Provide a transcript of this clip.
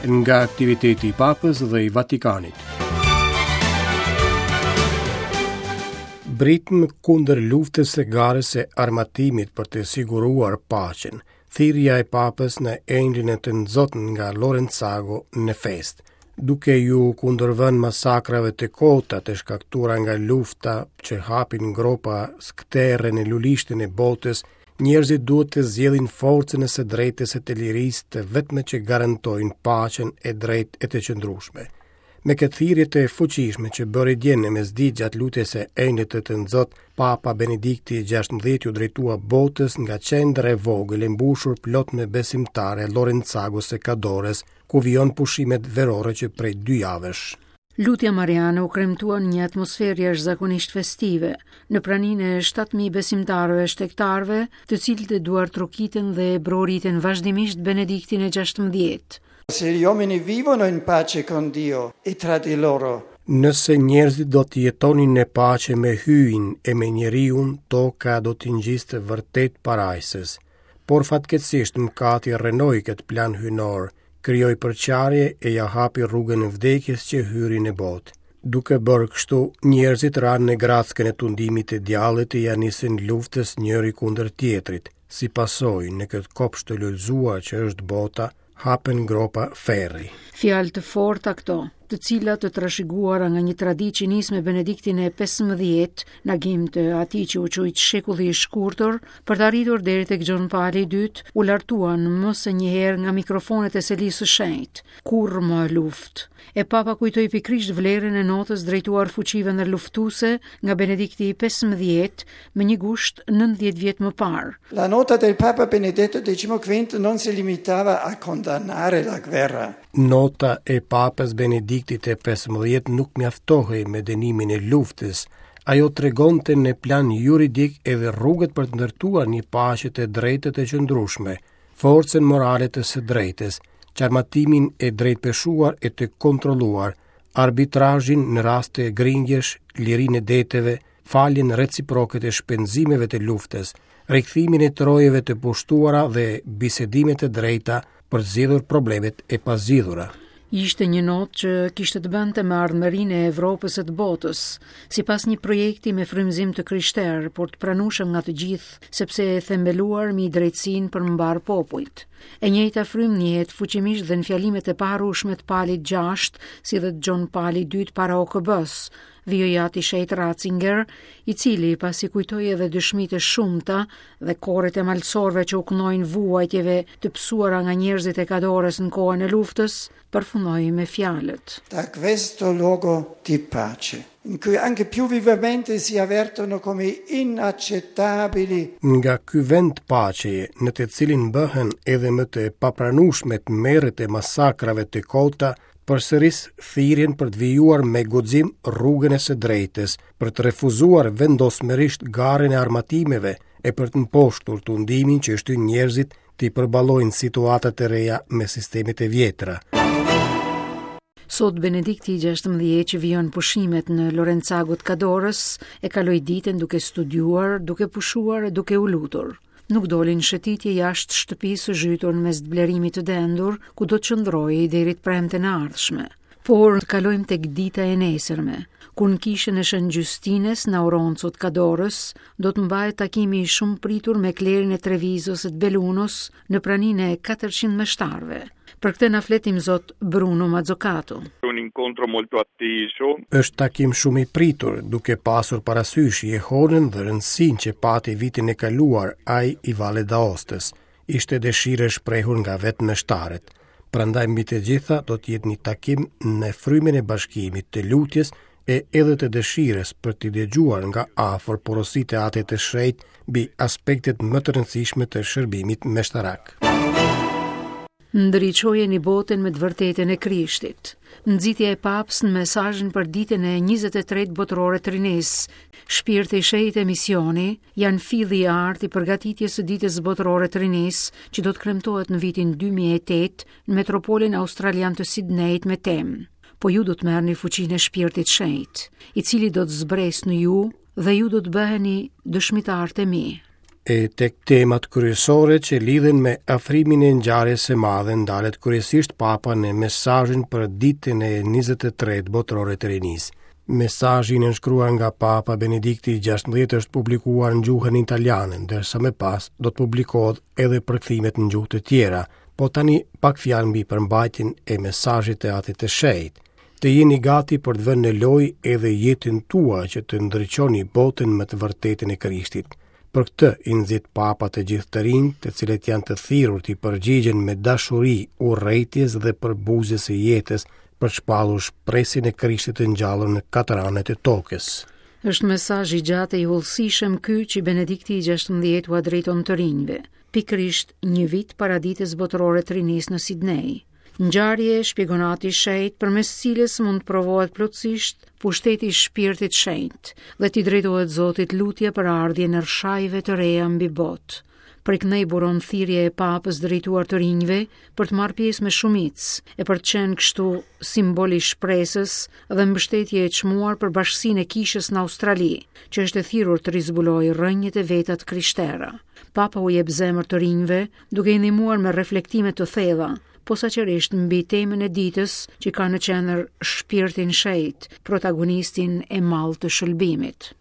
Nga aktiviteti i Papës dhe i Vatikanit. Britmë kundër luftës e garës së armatimit për të siguruar paqen. Thirrja e Papës në Engjëllin e Tënzot nga Lorenzago në festë, duke iu kundërvënë masakrave të kota të shkaktuara nga lufta që hapin gropa skëterre në lulishten e botës, njerëzit duhet të zgjedhin forcën e së drejtës e të lirisë të vetme që garantojnë paqen e drejtë e të qëndrueshme. Me këtë thirrje të fuqishme që bëri dje në mesditë gjatë lutjes së Engjëllit të Tënzot, Papa Benedikti XVI iu drejtua botës nga qendra e vogël e mbushur plot me besimtarë e Lorenzagos së Kadores, ku vijon pushimet verore që prej dy javësh. Lutja Mariane u kremtua në një atmosferë jashtëzakonisht festive, në praninë e 7000 besimtarëve e shtegtarëve, të cilët e duartrokitën dhe e brohoritën vazhdimisht Benediktin e XVI. Se gli uomini vivono in pace con Dio e tra di loro. Nëse njerëzit do të jetonin në paqe me Hyjin e me njeriun, toka do t'i ngjiste vërtet parajsës. Por fatkeqësisht mëkati rrënoi këtë plan hyjnor, krijoi përçarje e ia hapi rrugën vdekjes që hyri në botë. Duke bërë kështu, njerëzit ranë në grackën e tundimit të djallit e ia nisën luftës njëri kundër tjetrit. Si pasojë, në këtë kopsht të lulëzuar që është bota, hapen gropa ferri. Fjalë të forta këto, të cilat të trashëguara nga një traditë që nis me Benediktin e 15, në agim të atij që u quajt shekulli i shkurtër, për të arritur deri tek Gjon Pali i dytë, u lartuan më se një herë nga mikrofonet e Selisë së Shenjtë. Kurrë më luftë. E Papa kujtoi pikërisht vlerën e notës drejtuar fuqive ndërluftuese nga Benedikti i 15 më një gusht 90 vjet më parë. La nota del Papa Benedetto XV non si limitava a condannare la guerra. Nota e Papës Benediktit të 15 nuk mjaftohej me dënimin e luftës. Ajo tregonte në plan juridik edhe rrugët për të ndërtuar një paqe të drejtë e të qëndrueshme. forcën morale të së drejtës, çarmatimin e drejtpeshuar e të kontrolluar, arbitrazhin në raste grindjesh, lirinë e deteve, faljen reciproke të shpenzimeve të luftës, rikthimin e trojeve të pushtuara dhe bisedimet e drejta për të zgjidhur problemet e pazgjidhura. Ishte një notë që kishte të bënte me ardhmërinë e Evropës e të botës, sipas një projekti me frymëzim të krishterë, por të pranueshëm nga të gjithë, sepse e themeluar mbi drejtësinë për mbarë popujt. E njëjta frymë ndihet fuqimisht dhe në fjalimet e paharrueshme të Palit VI, si dhe të Gjon Palit II para OKB-së, vijoi Ati i Shenjtë Ratzinger, i cili pasi kujtoi edhe dëshmitë e shumta dhe koret e malësorëve që u këndojnë vuajtjeve të pësuara nga njerëzit e Kadores në kohën e luftës, përfundoi me fjalët. Da questo luogo di pace, in cui anche più vivamente si avvertono come inaccettabili. Nga ky vend paqeje, në të cilin bëhen edhe më të papranueshme tmerret e masakrave të kota, përsëris thirrjen për të vijuar me guxim rrugën e së drejtës, për të refuzuar vendosmërisht garën e armatimeve e për të mposhtur tundimin që shtyn njerëzit t'i përballojnë situatat e reja me sistemet e vjetra. Sot Benedikti i 16 që vijon pushimet në Lorenzago të Kadorës e kaloi ditën duke studiuar, duke pushuar e duke u lutur. Nuk doli në shëtitje jashtë shtëpisë së zhytur në mes të blerimit të dendur, ku do të qëndrojë deri të premten e ardhshme. Por të kalojmë tek dita e nesërme, kur në kishën e Shën Gjystines në Auronzo të Kadorës do të mbahet takimi i shumëpritur me klerin e Trevizos e të Belunos në praninë e 400 meshtarëve. Për këtë na flet Imzot Bruno Mazzocato. Un incontro molto atteso. Është takim shumë i pritur, duke pasur parasysh jehonën dhe rëndësinë që pati vitin e kaluar ai i Valle d'Aostës. Ishte dëshirë e shprehur nga vetë meshtarët. Prandaj mbi të gjitha do të jetë një takim në frymën e bashkimit, të lutjes e edhe të dëshirës për t'i dëgjuar nga afër porositë e Atit të Shenjtë mbi aspektet më të rëndësishme të shërbimit meshtarak. Ndriçojeni botën me të vërtetën e Krishtit. Nxitja e Papës në mesazhin për ditën e 23 botërore të rinisë, Shpirti i Shenjtë e misioni janë filli i artë i përgatitjes së ditës botërore të rinisë, që do të kremtohet në vitin 2008 në metropolin australian të Sidnejit me temë. Po ju do të merrni fuqinë e Shpirtit Shenjt, i cili do të zbresë në ju dhe ju do të bëheni dëshmitarët e mi. E tek temat kryesore që lidhen me afrimin e ngjarjes së madhe ndalet kryesisht Papa në mesazhin për ditën e 23 botërore të rinisë. Mesazhi i nënshkruar nga Papa Benedikti XVI është publikuar në gjuhën italiane, ndërsa më pas do të publikohet edhe përkthimet në gjuhë të tjera. Po tani pak fjalë mbi përmbajtjen e mesazhit të Atit të Shenjtë. Të jeni gati për të vënë në lojë edhe jetën tuaj që të ndriçoni botën me të vërtetën e Krishtit. Për këtë i nxit Papa të gjithë të rinjtë, të cilët janë të thirrur t'i përgjigjen me dashuri urrejtjes dhe përbuzjes së jetës për të shpallur shpresën e Krishtit të ngjallur në katër anët e tokës. Është mesazh i gjatë e i hollësishëm ky që Benedikti i 16 ua drejton të rinjve, pikërisht një vit para ditës botërore të rinisë në Sidnei. Ngjarje, shpjegon Ati i Shenjtë, përmes cilës mund të provohet plotësisht pushteti i Shpirtit Shenjt dhe t'i drejtohet Zotit lutja për ardhjen e rrëshajve të reja mbi botë. Prej këndej buron thirrja e Papës drejtuar të rinjve për të marrë pjesë me shumicë e për të qenë kështu simbol i shpresës dhe mbështetje e çmuar për bashkësinë e kishës në Australi, që është e thirrur të rizbulojë rrënjët e veta të krishtera. Papa u jep zemër të rinjve duke i ndihmuar me reflektime të thella, posaçërisht mbi temën e ditës që ka në qendër shpirtin shenjt, protagonistin e madh të shëlbimit.